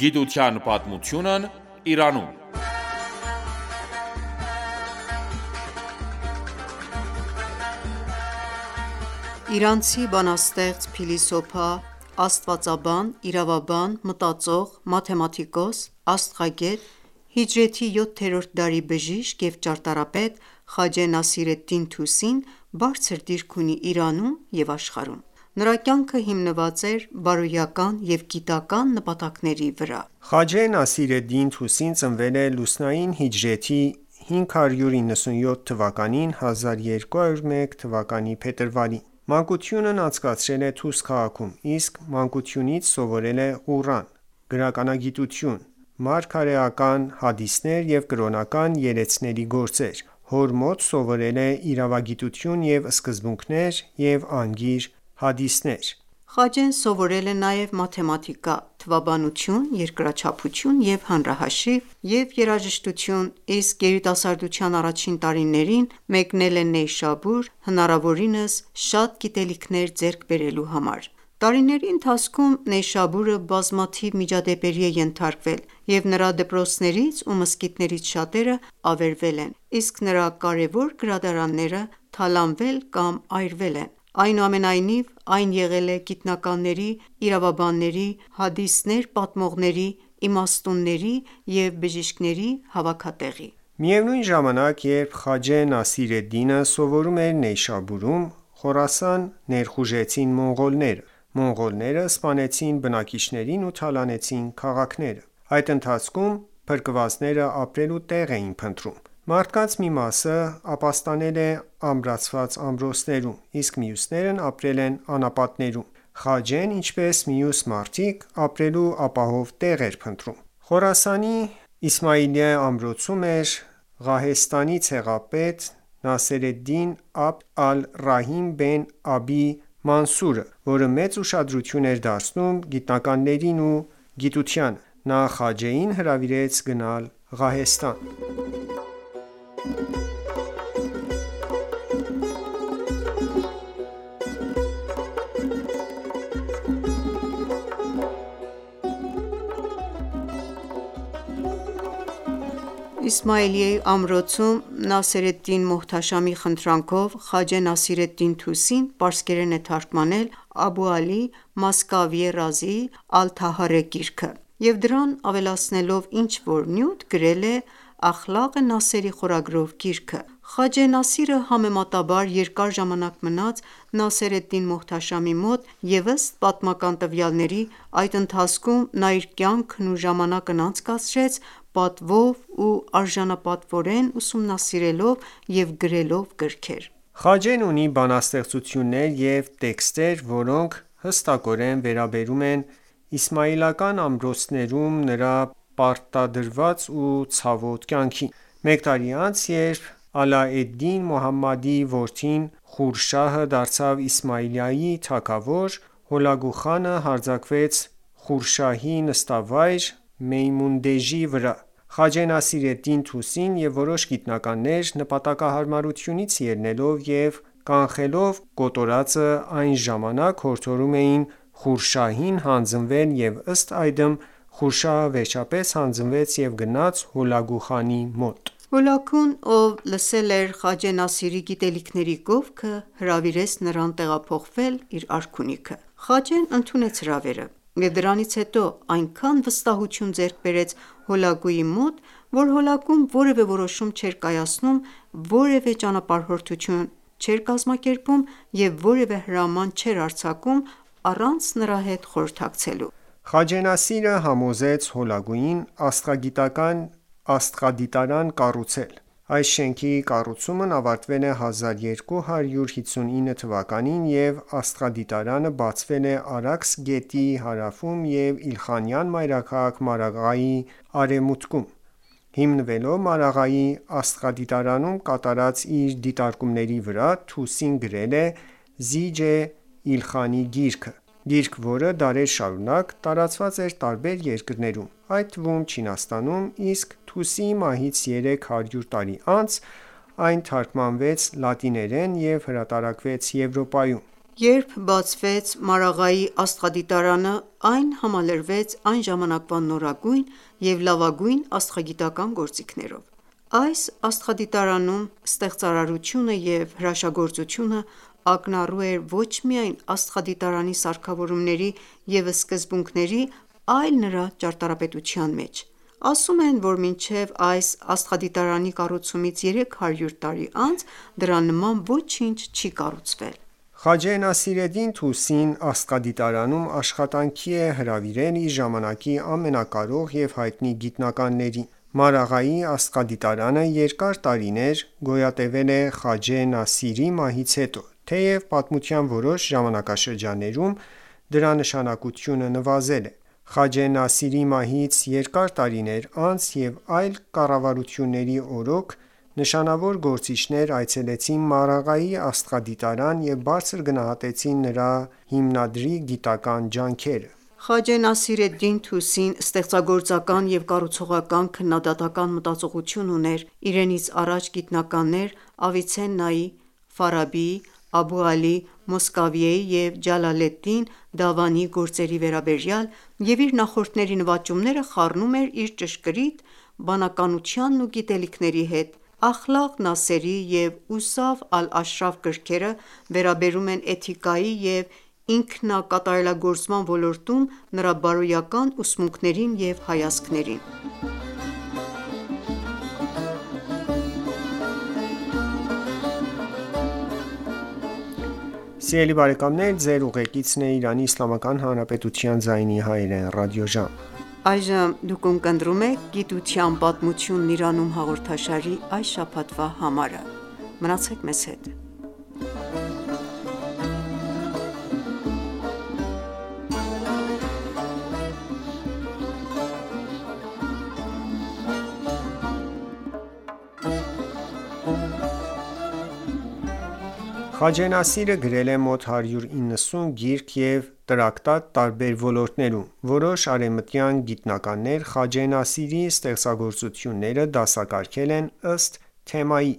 Գիտության պատմությունն Իրանում։ Իրանցի բանաստեղծ, փիլիսոփա, աստվածաբան, իրավաբան, մտածող, մաթեմատիկոս, աստղագետ, հիջրեթի 7-րդ դարի բժիշկ և ճարտարապետ Խաջե Նասիր էդ-Դին Թուսին բարձր դիրք ունի Իրանում և աշխարհում։ Նրա կյանքը հիմնված էր բարոյական և գիտական նպատակների վրա։ Խաջե Նասիր էդ-Դին Թուսին ծնվել է լուսնային հիջրեթի 597 թվականին (1201 թ.) փետրվարին։ Մանկությունն անցկացրել է Թուս քաղաքում, իսկ մանկությունից սովորել է Ղուրան, գրականագիտություն, մարգարեական հադիսներ և կրոնական երեցների գործեր։ Հոր մոտ սովորել է իրավագիտություն և սկզբունքներ և անգիր հադիսներ։ Խաջեն սովորել է նաև մաթեմատիկա, թվաբանություն, երկրաչափություն և հանրահաշիվ և երաժշտություն, իսկ երիտասարդության առաջին տարիներին մեկնել է Նեյշաբուր՝ հնարավորինս շատ գիտելիքներ ձեռք բերելու համար։ Տարիների ընթացքում Նեյշաբուրը բազմաթիվ միջադեպերի է ենթարկվել, և նրա դպրոցներից ու մզկիթներից շատերը ավերվել են, իսկ նրա կարևոր գրադարանները թալանվել կամ այրվել են։ Այնուամենայնիվ, այն եղել է գիտնականների, իրավաբանների, հադիսներ պատմողների, իմաստունների և բժիշկների հավաքատեղի։ Միևնույն ժամանակ, երբ Խաջե Նասիր էդ-Դինը սովորում էր Նեյշաբուրում, Խորասան ներխուժեցին մոնղոլները։ Մոնղոլները սպանեցին բնակիչներին ու թալանեցին քաղաքները։ Այդ ընթացքում փրկվածները ապրելու տեղ էին փնտրում։ Մարդկանց մի մասը ապաստանել է ամրացված ամրոցներում, իսկ մյուսներն ապրել են անապատներում։ Խաջեն, ինչպես մյուս մարդիկ, ապրելու ապահով տեղ էր փնտրում։ Խորասանի Իսմայիլիա ամրոցում էր Ղահեստանի ցեղապետ Նասերեդդին Աբդ ալ-Ռահիմ բեն Աբի Մանսուրը, որը մեծ ուշադրություն էր դարձնում գիտնականներին ու գիտությանը։ Նա Խաջեին հրավիրեց գնալ Ղահեստան։ Իսմայիլիայի ամրոցում Նասերեդդին Մոհթաշամի խնդրանքով Խաջե Նասիր էդ-Դին Թուսին պարսկերեն է թարգմանել Աբու Ալի Մասկավիե Ռազիի «Ալ-Թահարե» գիրքը և դրան ավելացնելով ինչ-որ նյութ գրել է «Ախլաղ Նասերի» խորագրով գիրքը։ Խաջե Նասիրը համեմատաբար երկար ժամանակ մնաց Նասեր էդ-Դին Մոհթաշամի մոտ և ըստ պատմական տվյալների, այդ ընթացքում նա իր կյանքն ու ժամանակն անցկացրեց պատվով ու արժանապատվորեն ուսումնասիրելով և գրելով գրքեր։ Խաջեն ունի բանաստեղծություններ և տեքստեր, որոնք հստակորեն վերաբերում են իսմայիլական ամրոցներում նրա պարտադրված ու ցավոտ կյանքին։ Մեկ տարի անց, երբ Ալա-էդ-Դին Մոհամմադի որդին Խուրշահը դարձավ Իսմայիլիայի թագավոր, Հոլագու խանը հարձակվեց Խուրշահի նստավայր Մեյմունդեժի վրա։ Խաջե Նասիր էդ-Դին Թուսին և որոշ գիտնականներ, նպատակահարմարությունից ելնելով և կանխելով կոտորածը, այն ժամանակ հորդորում էին Խուրշահին հանձնվել և ըստ այդմ Խուրշահը վերջապես հանձնվեց և գնաց Հոլագու խանի մոտ։ Հոլագուն, ով լսել էր Խաջե Նասիրի գիտելիքների գովքը, հրավիրեց նրան տեղափոխվել իր արքունիքը։ Խաջեն ընդունեց հրավերը և դրանից հետո այնքան վստահություն ձեռք բերեց Հոլագուի մոտ, որ Հոլագուն որևէ որոշում չէր կայացնում, որևէ ճանապարհորդություն չէր կազմակերպում և որևէ հրաման չէր արձակում առանց նրա հետ խորհրդակցելու։ Խաջե Նասիրը համոզեց Հոլագուին աստղագիտական աստղադիտարան կառուցել։ Այս շենքի կառուցումն ավարտվել է 1259 թվականին և աստղադիտարանը բացվել է Արաքս գետի հարավում և Իլխանյան մայրաքաղաք Մարաղեի արևմուտքում։ Հիմնվելով Մարաղեի աստղադիտարանում կատարած իր դիտարկումների վրա, Թուսին գրել է «Զիջ Իլխանի գիրքը», գիրք, որը դարեր շարունակ տարածված էր տարբեր երկրներում, այդ թվում Չինաստանում, իսկ Թուսիի մահից 300 տարի անց այն թարգմանվեց լատիներեն և հրատարակվեց Եվրոպայում։ Երբ բացվեց Մարաղայի աստղադիտարանը, այն համալրվեց այն ժամանակվա նորագույն և լավագույն աստղագիտական գործիքներով։ Այս աստղադիտարանում ստեղծարարությունը և հրաշագործությունը ակնառու էր ոչ միայն աստղադիտարանի սարքավորումների և սկզբունքների, այլ նրա ճարտարապետության մեջ։ Ասում են, որ մինչև այս աստղադիտարանի կառուցումից 300 տարի անց դրա նման ոչինչ չի կառուցվել։ Խաջե Նասիրեդին Թուսին աստղադիտարանում աշխատանքի է հրավիրել իր ժամանակի ամենակարող և հայտնի գիտնականներին։ Մարաղայի աստղադիտարանը երկար տարիներ գոյատևել է Խաջե Նասիրի մահից հետո, թեև պատմության որոշ ժամանակաշրջաններում դրա նշանակությունը նվազել է։ Խաջե Նասիրի մահից երկար տարիներ անց և այլ կառավարությունների օրոք նշանավոր գործիչներ այցելեցին Մարաղայի աստղադիտարան և բարձր գնահատեցին նրա հիմնադրի գիտական ջանքերը։ Խաջե Նասիր էդ-Դին Թուսին ստեղծագործական և կառուցողական քննադատական մտածողություն ուներ իրենից առաջ գիտնականներ Ավիցեննայի, Ֆարաբիի, Աբու Ալի Մոսկավիեի և Ջալալեդդին Դավանիի գործերի վերաբերյալ և իր նախորդների նվաճումները խառնում էր իր ճշգրիտ բանականությանն ու գիտելիքների հետ։ «Ախլաղ Նասերի» և «Ուսաֆ ալ-Աշրաֆ» գրքերը վերաբերում են էթիկայի և ինքնակատարելագործման ոլորտում նրա բարոյական ուսմունքներին և հայացքներին։ Խաջե Նասիրը գրել է մոտ 190 գիրք և տրակտատ տարբեր ոլորտներում։ Որոշ արևմտյան գիտնականներ Խաջե Նասիրի ստեղծագործությունները դասակարգել են ըստ թեմայի։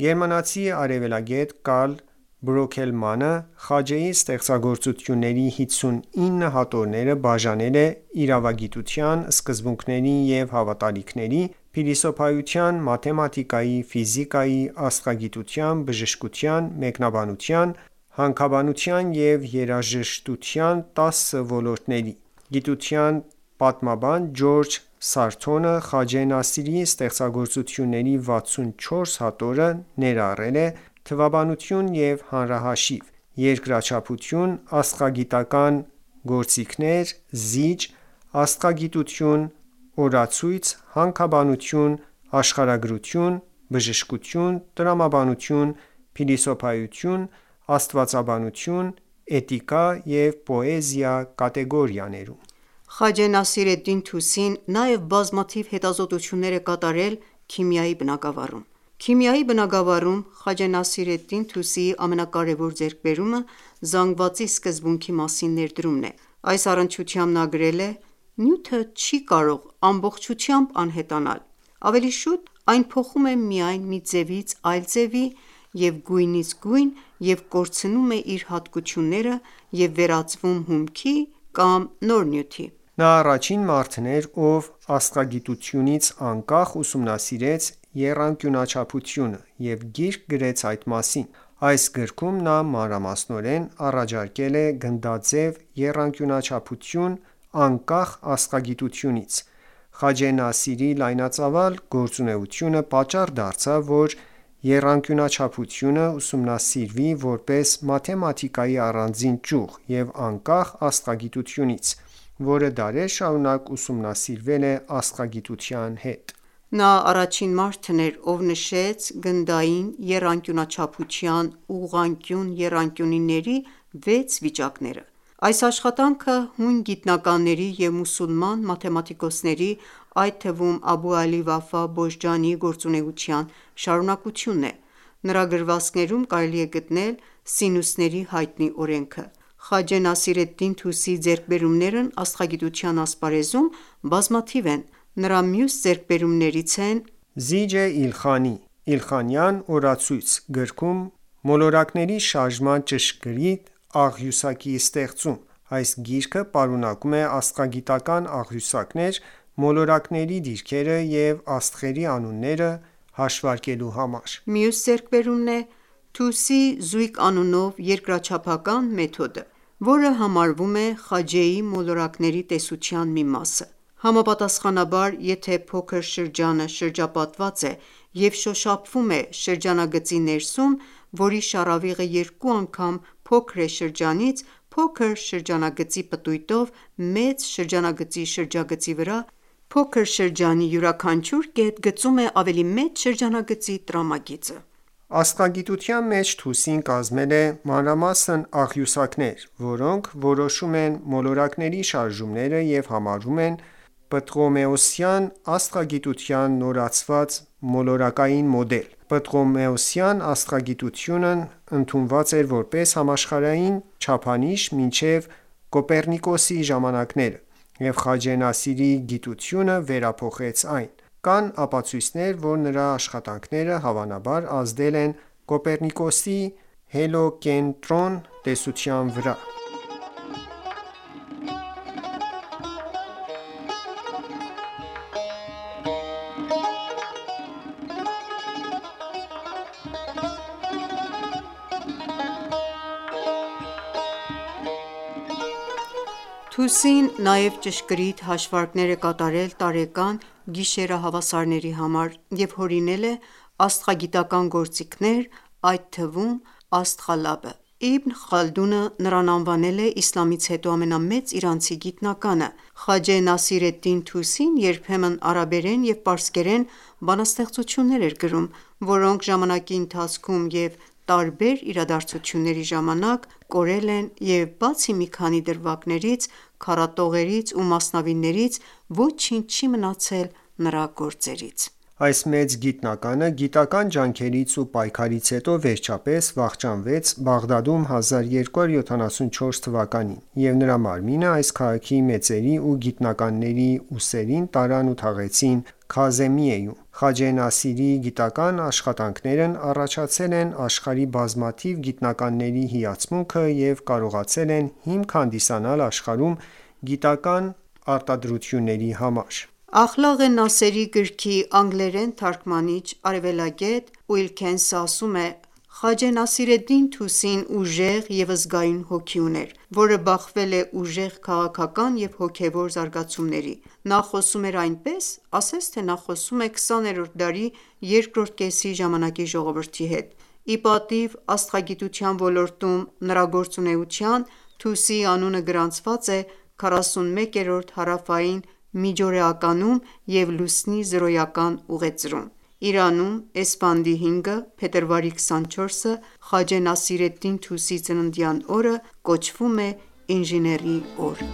Գերմանացի արևելագետ Կարլ Բրոքելմանը Խաջեի ստեղծագործությունների 59 հատորները բաժանել է իրավագիտության սկզբունքների և հավատալիքների, փիլիսոփայության, մաթեմատիկայի, ֆիզիկայի, աստղագիտության, բժշկության, մեկնաբանության, հանքաբանության և երաժշտության 10 ոլորտների։ Գիտության պատմաբան Ջորջ Սարթոնը Խաջե Նասիրի ստեղծագործությունների 64 հատորը ներառել է թվաբանություն և հանրահաշիվ, երկրաչափություն, աստղագիտական գործիքներ, զիջ, աստղագիտություն, օրացույց, հանքաբանություն, աշխարհագրություն, բժշկություն, տրամաբանություն, փիլիսոփայություն, աստվածաբանություն, էթիկա և պոեզիա կատեգորիաներում։ Խաջե Նասիր էդ-Դին Թուսին նաև բազմաթիվ հետազոտություններ է կատարել քիմիայի բնագավառում։ Քիմիայի բնագավառում Խաջե Նասիր էդ-Դին Թուսիի ամենակարևոր ձեռքբերումը զանգվածի սկզբունքի մասին ներդրումն է։ Այս առնչությամբ նա գրել է. «Նյութը չի կարող ամբողջությամբ անհետանալ։ Ավելի շուտ այն փոխում է միայն մի ձևից այլ ձևի և գույնից գույն և կորցնում է իր հատկությունները և վերածվում հումքի կամ նոր նյութի»։ Նա առաջին մարդն էր, ով աստղագիտությունից անկախ ուսումնասիրեց եռանկյունաչափությունը և գիրք գրեց այդ մասին։ Այս գրքում նա մանրամասնորեն առաջարկել է գնդաձև եռանկյունաչափություն անկախ աստղագիտությունից։ Խաջե Նասիրի լայնածավալ գործունեությունը պատճառ դարձավ, որ եռանկյունաչափությունը ուսումնասիրվի որպես մաթեմատիկայի առանձին ճյուղ և անկախ աստղագիտությունից, որը դարեր շարունակ ուսումնասիրվել է աստղագիտության հետ։ Նա առաջին մարդն էր, ով նշեց գնդային եռանկյունաչափության ուղղանկյուն եռանկյունիների 6 վիճակները։ Այս աշխատանքը հույն գիտնականների և մուսուլման մաթեմատիկոսների, այդ թվում Աբու Ալի Վաֆա Բոժջանիի գործունեության շարունակությունն է։ Նրա գրվածքներում կարելի է գտնել սինուսների հայտնի օրենքը։ Խաջե Նասիր էդ-Դին Թուսիի ձեռքբերումներն աստղագիտության ասպարեզում բազմաթիվ են։ Նրա մյուս ձեռքբերումներից են «Զիջե Իլխանի» Իլխանյան օրացույց գրքում մոլորակների շարժման ճշգրիտ աղյուսակի ստեղծում։ Այս գիրքը պարունակում է աստղագիտական աղյուսակներ, մոլորակների դիրքերը և աստղերի անունները հաշվարկելու համար։ Մյուս ձեռքբերումն է Թուսի զույգ անունով երկրաչափական մեթոդը, որը համարվում է Խաջեի մոլորակների տեսության մի մասը։ Համապատասխանաբար, եթե փոքր շրջանը շրջապատված է և շոշափվում է շրջանագծի ներսում, որի շառավիղը երկու անգամ փոքր է շրջանից, փոքր շրջանագծի պտույտով մեծ շրջանագծի շրջագծի վրա, փոքր շրջանի յուրաքանչյուր կետ գծում է ավելի մեծ շրջանագծի տրամագիծը։ Աստղագիտության մեջ Թուսին կազմել է մանրամասն աղյուսակներ, որոնք որոշում են մոլորակների շարժումները և համարվում են պտղոմեոսյան աստղագիտության նորացված մոլորակային մոդել։ Պտղոմեոսյան աստղագիտությունն ընդունված էր որպես համաշխարհային չափանիշ մինչև Կոպեռնիկոսի ժամանակները, և Խաջե Նասիրի գիտությունը վերափոխեց այն։ Կան ապացույցներ, որ նրա աշխատանքները հավանաբար ազդել են Կոպեռնիկոսի հելիոկենտրոն տեսության վրա։ Թուսին նաև ճշգրիտ հաշվարկներ է կատարել տարեկան գիշերահավասարների համար և հորինել է աստղագիտական գործիքներ, այդ թվում աստղալաբը։ Իբն Խալդունը նրան անվանել է իսլամից հետո ամենամեծ իրանցի գիտնականը։ Խաջե Նասիր էդ-Դին Թուսին երբեմն արաբերեն և պարսկերեն բանաստեղծություններ էր գրում, որոնք ժամանակի ընթացքում և տարբեր իրադարձությունների ժամանակ կորել են և բացի մի քանի դրվագներից, քառատողերից ու մասնավիներից, ոչինչ չի մնացել նրա գործերից։ Այս մեծ գիտնականը գիտական ջանքերից ու պայքարից հետո վերջապես վախճանվեց Բաղդադում 1274 թվականին, և նրա մարմինը այս քաղաքի մեծերի ու գիտնականների ուսերին տարան ու թաղեցին Քազեմիեում։ Խաջե Նասիրի գիտական աշխատանքներն առաջացել են աշխարհի բազմաթիվ գիտնականների հիացմունքը և կարողացել են հիմք հանդիսանալ աշխարհում գիտական արտադրությունների համար։ Ախլաղե Նասերի գրքի անգլերեն թարգմանիչ, արևելագետ Ուիլքենսը ասում է. «Խաջե Նասիր էդ-Դին Թուսին ուժեղ և զգայուն հոգի ուներ, որը բախվել է ուժեղ քաղաքական և հոգևոր զարգացումների։ Նա խոսում էր այնպես, ասես թե նա խոսում է 20-րդ դարի երկրորդ կեսի ժամանակի ժողովրդի հետ։ Ի պատիվ աստղագիտության ոլորտում նրա գործունեության, Թուսիի անունը գրանցված է 41-րդ հարավային միջօրեականում և լուսնի զրոյական ուղեծրում։ Իրանում էսֆանդի 5-ը, փետրվարի 24-ը, Խաջե Նասիր էդ-Դին Թուսիի ծննդյան օրը կոչվում է ինժեների օր»։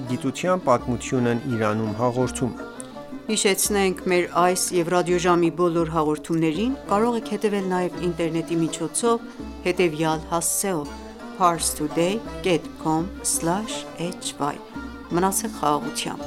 «Գիտության պատմությունն Իրանում» հաղորդումը։ Հիշեցնենք մեր այս և ռադիոժամի բոլոր հաղորդումներին կարող եք հետևել նաև ինտերնետի միջոցով հետևյալ հասցեով՝ parstoday.com/hy: Մնացեք խաղաղությամբ։